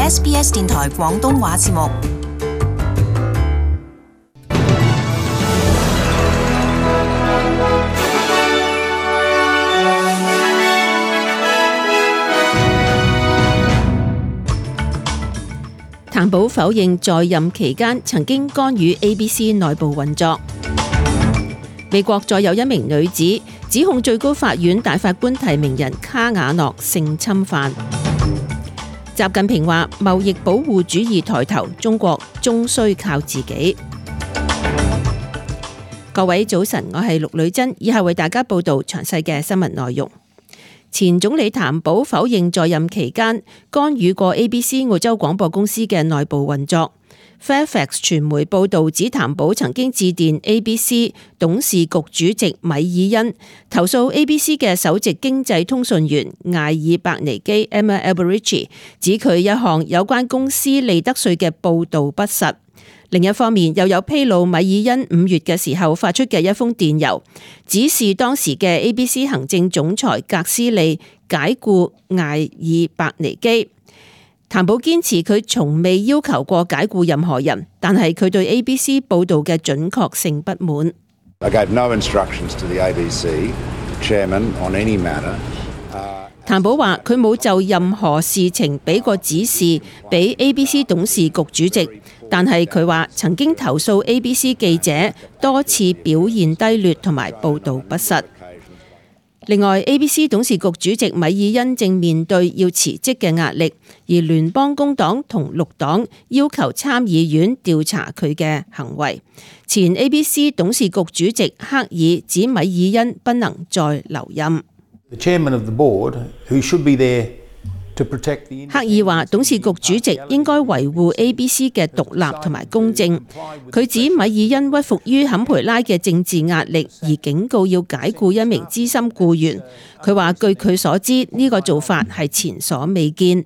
SBS 電台廣東話節目。譚寶否認在任期間曾經干預 ABC 內部運作。美國再有一名女子指控最高法院大法官提名人卡瓦諾性侵犯。習近平話貿易保護主義抬頭，中國終須靠自己。各位早晨，我係陸女珍，以下為大家報道詳細嘅新聞內容。前總理譚寶否認在任期間干預過 ABC 澳洲廣播公司嘅內部運作。Fairfax 傳媒報導指譚寶曾經致電 ABC 董事局主席米爾恩，投訴 ABC 嘅首席經濟通訊員艾爾伯尼基 Emma Alberici 指佢一項有關公司利得稅嘅報導不實。另一方面，又有披露米爾恩5月嘅時候發出嘅一封電郵，指示當時嘅 ABC 行政總裁格斯利解僱艾爾伯尼基。譚寶堅持佢從未要求過解僱任何人，但係佢對 ABC 報導嘅準確性不滿。I gave no instructions to the ABC chairman on any matter. 譚寶話佢冇就任何事情俾過指示俾 ABC 董事局主席，但係佢話曾經投訴 ABC 記者多次表現低劣同埋報導不實。另外 ABC 董事局主席米爾恩正面對要辭職嘅壓力，而聯邦工黨同綠黨要求參議院調查佢嘅行為。前 ABC 董事局主席克爾指米爾恩不能再留任。克爾話董事局主席應該維護 ABC 嘅獨立同埋公正。佢指米爾恩屈服於坎培拉嘅政治壓力，而警告要解僱一名資深僱員。佢話據佢所知，呢個做法係前所未見。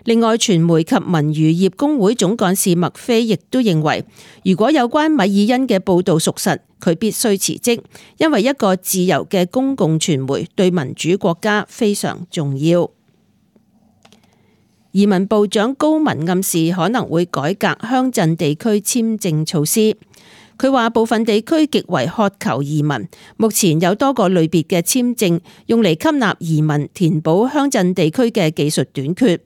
另外，傳媒及文娛業工會總幹事麥菲亦都認為，如果有關米爾恩嘅報導屬實，佢必須辭職，因為一個自由嘅公共傳媒對民主國家非常重要。移民部長高文暗示可能會改革鄉鎮地區簽證措施。佢話部分地區極為渴求移民，目前有多個類別嘅簽證用嚟吸納移民，填補鄉鎮地區嘅技術短缺。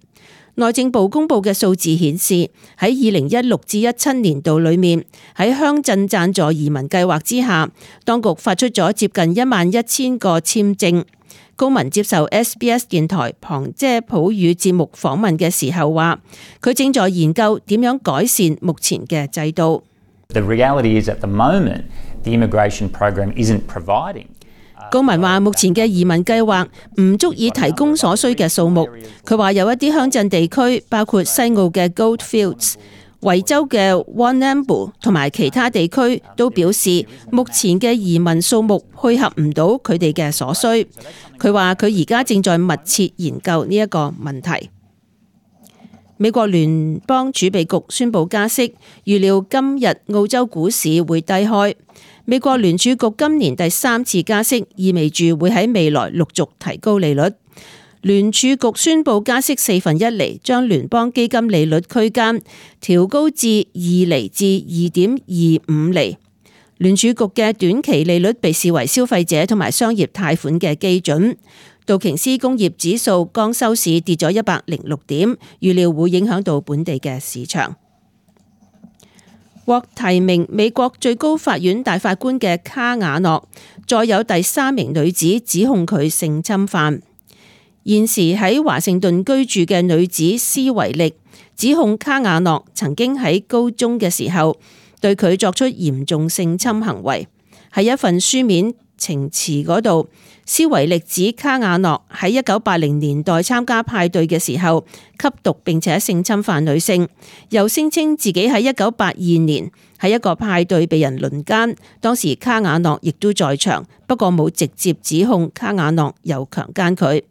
內政部公布嘅數字顯示，喺2016至17年度裏面，喺鄉鎮贊助移民計劃之下，當局發出咗接近11000個簽證。高文接受 SBS 電台旁遮普語節目訪問嘅時候話，佢正在研究點樣改善目前嘅制度。The reality is at the moment, the immigration program isn't providing. 高文話目前嘅移民計劃唔足以提供所需嘅數目。佢話有一啲鄉鎮地區，包括西澳嘅 Goldfields、維州嘅 Warrnambool 同埋其他地區都表示，目前嘅移民數目配合唔到佢哋嘅所需。佢話佢而家正在密切研究呢一個問題。美國聯邦儲備局宣布加息，預料今日澳洲股市會低開。美國聯儲局今年第3次加息，意味住會喺未來陸續提高利率。聯儲局宣布加息1/4厘，將聯邦基金利率區間調高至2厘至2.25厘。聯儲局嘅短期利率被視為消費者同埋商業貸款嘅基準。道瓊斯工業指數剛收市跌咗106點，預料會影響到本地嘅市場。獲提名美國最高法院大法官嘅卡瓦諾，再有第3名女子指控佢性侵犯。現時喺華盛頓居住嘅女子斯維力指控卡瓦諾曾經喺高中嘅時候對佢作出嚴重性侵行為。喺一份書面呈詞嗰度，斯維力指卡瓦諾喺1980年代參加派對嘅時候吸毒並且性侵犯女性，又聲稱自己喺1982年喺一個派對被人輪姦，當時卡瓦諾亦都在場，不過冇直接指控卡瓦諾又強姦佢。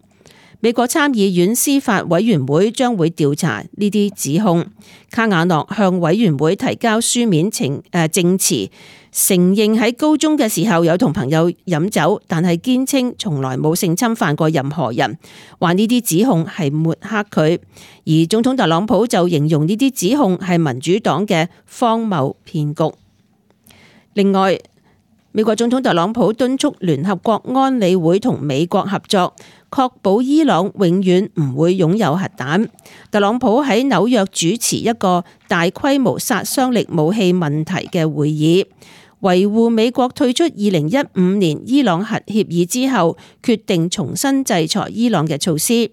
美國參議院司法委員會將會調查呢啲指控。卡瓦諾向委員會提交書面證詞，承認喺高中嘅時候有同朋友飲酒，但係堅稱從來冇性侵犯過任何人，話呢啲指控係抹黑佢。而總統特朗普就形容呢啲指控係民主黨嘅荒謬騙局。另外，美國總統特朗普敦促聯合國安理會同美國合作，確保伊朗永遠唔會擁有核彈。特朗普喺紐約主持一個大規模殺傷力武器問題嘅會議，維護美國退出2015年伊朗核協議之後決定重新制裁伊朗嘅措施。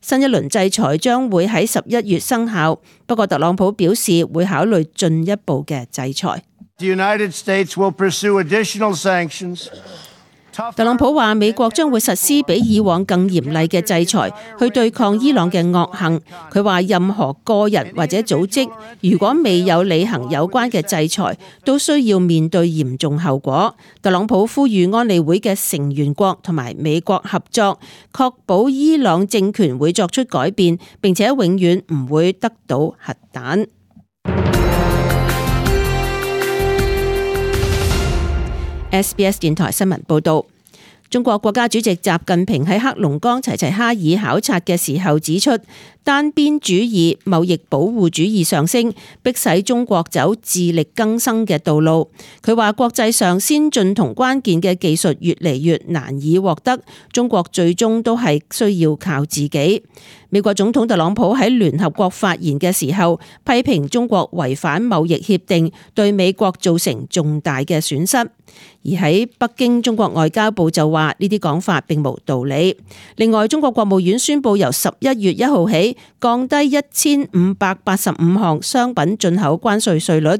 新一輪制裁將會喺11月生效，不過特朗普表示會考慮進一步嘅制裁。The United States will pursue additional sanctions. 特朗普話美國將會實施比以往更嚴厲嘅制裁，去對抗伊朗嘅惡行。佢話任何個人或者組織如果未有履行有關嘅制裁，都需要面對嚴重後果。特朗普呼籲安理會嘅成員國同埋美國合作，確保伊朗政權會作出改變，並且永遠唔會得到核彈。SBS 電台新聞報道，中國國家主席習近平喺黑龍江齊齊哈爾考察嘅時候指出，單邊主義、貿易保護主義上升，迫使中國走自力更生嘅道路。佢話國際上先進同關鍵嘅技術越嚟越難以獲得，中國最終都係需要靠自己。美國總統特朗普喺聯合國發言嘅時候，批評中國違反貿易協定，對美國造成重大嘅損失。而喺北京，中國外交部就話呢啲講法並無道理。另外，中國國務院宣布由11月1號起降低1585項商品進口關稅稅率，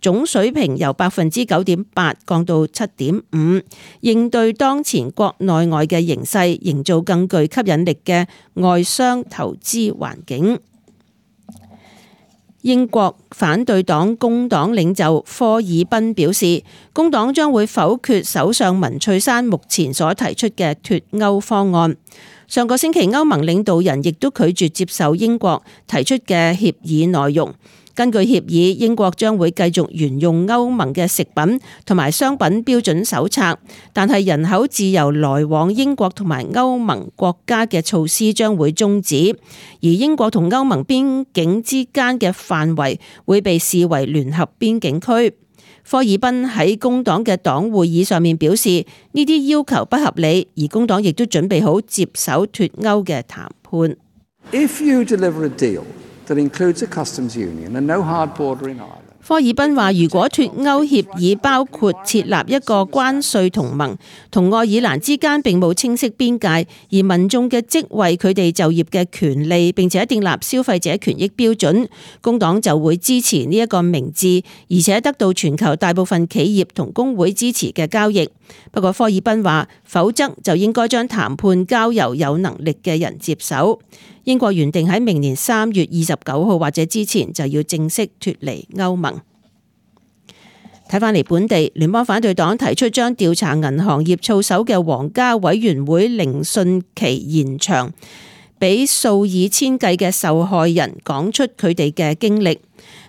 總水平由 9.8% 降到 7.5%， 應對當前國內外嘅形勢，營造更具吸引力嘅外商投資環境。英國反對黨工黨領袖科爾賓表示，工黨將會否決首相文翠珊目前所提出嘅脫歐方案。上個星期歐盟領導人亦都拒絕接受英國提出嘅協議內容。根據協議，英國將會繼續沿用歐盟嘅食品同埋商品標準手冊，但係人口自由來往英國同埋歐盟國家嘅措施將會終止，而英國同歐盟邊境之間嘅範圍會被視為聯合邊境區。科爾賓喺工黨嘅黨會議上面表示，呢啲要求不合理，而工黨亦都準備好接手脫歐嘅談判。If you deliver a deal that includes a customs union and no hard border in Ireland. 科爾賓話：如果脫歐協議包括設立一個關稅同盟，同愛爾蘭之間並冇清晰邊界，而民眾嘅職位、佢哋就業嘅權利，並且訂立消費者權益標準，工黨就會支持呢一個明智，而且得到全球大部分企業同工會支持嘅交易。不過科爾賓話，否則就應該將談判交由有能力嘅人接手。英國原定喺明年3月29號或者之前就要正式脫離歐盟。睇返嚟本地，聯邦反對黨提出將調查銀行業操守嘅皇家委員會聆訊期延長，俾數以千計嘅受害人講出佢哋嘅經歷。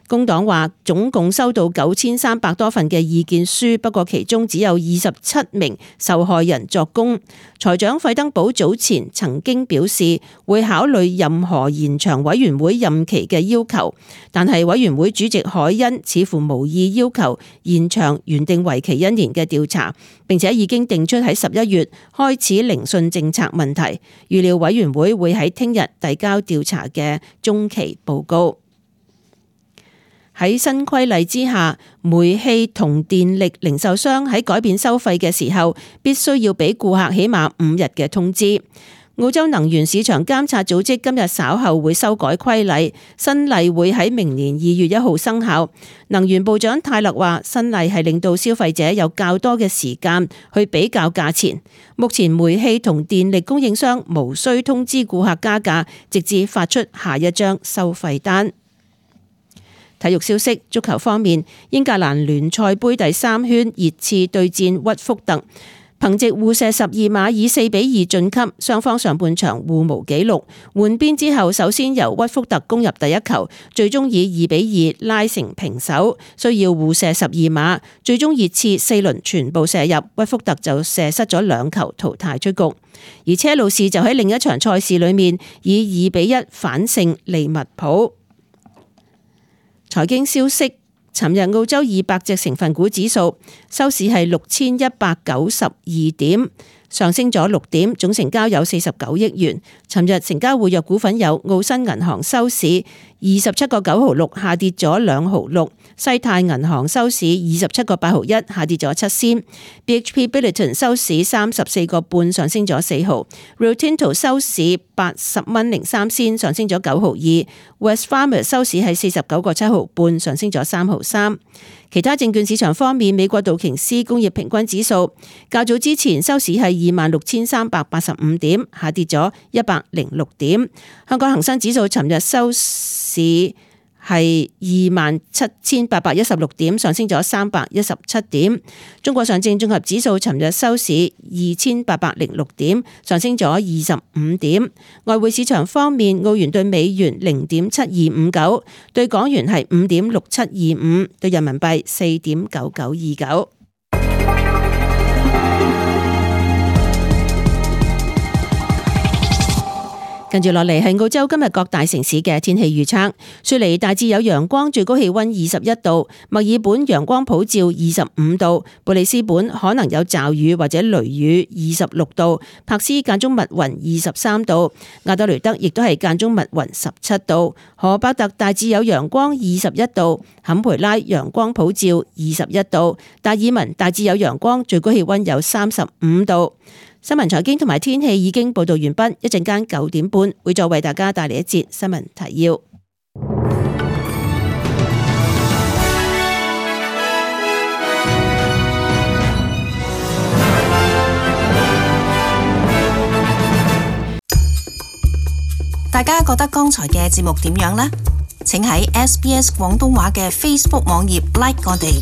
工黨話總共收到9300多份嘅意見書，不過其中只有27名受害人作供。財長費登堡早前曾經表示會考慮任何延長委員會任期嘅要求，但係委員會主席凱恩似乎無意要求延長原定為期1年嘅調查，並且已經定出喺11月開始聆訊政策問題，預料委員會會喺聽日遞交調查嘅中期報告。喺新規例之下，煤氣同電力零售商喺改變收費嘅時候，必須要俾顧客起碼5日嘅通知。澳洲能源市場監察組織今日稍後會修改規例，新例會喺明年2月1號生效。能源部長泰勒話，新例係令到消費者有較多嘅時間去比較價錢。目前煤氣同電力供應商無需通知顧客加價，直至發出下一張收費單。體育消息，足球方面，英格蘭聯賽盃第3圈熱刺對戰屈福特，憑藉互射12碼以4-2晉級，雙方上半場互無紀錄。換邊之後，首先由屈福特攻入第一球，最終以2-2拉成平手，需要互射12碼，最終熱刺4輪全部射入，屈福特就射失咗2球淘汰出局。而車路士就喺另一場賽事裏面以2-1反勝利物浦。財經消息。尋日澳洲200隻成分股指數收市係6192點，上升咗6點，總成交有49億元。尋日成交活躍股份有澳新銀行收市27個9毫6，下跌咗2毫6；西泰銀行收市27個8毫1，下跌咗7仙；BHP Billiton 收市34個半，上升咗4毫；Rio Tinto 收市80蚊03仙，上升咗9毫2； Wesfarmers 收市係49個7毫半，上升咗3毫3。其他證券市場方面，美國道瓊斯工業平均指數較早之前收市係26,385點，下跌咗106點。香港恒生指數尋日收市係27,816點，上升咗317點。中國上證綜合指數尋日收市2,806點，上升咗25點。外匯市場方面，澳元對美元0.7259，對港元係5.6725，對人民幣4.9929。跟住落嚟係澳洲今日各大城市嘅天氣預測。雪梨大致有陽光，最高氣溫21度；墨爾本陽光普照25度；布里斯本可能有驟雨或者雷雨26度；柏斯間中密雲23度；亞德雷德亦都係間中密雲17度；荷伯特大致有陽光21度；坎培拉陽光普照21度；達爾文大致有陽光，最高氣溫有35度。新聞財經同埋天氣已經報道完畢，一陣間9點半會再為大家帶嚟一節新聞提要。大家覺得剛才嘅節目點樣呢？請喺SBS 廣東話嘅 Facebook 網頁 like 我哋。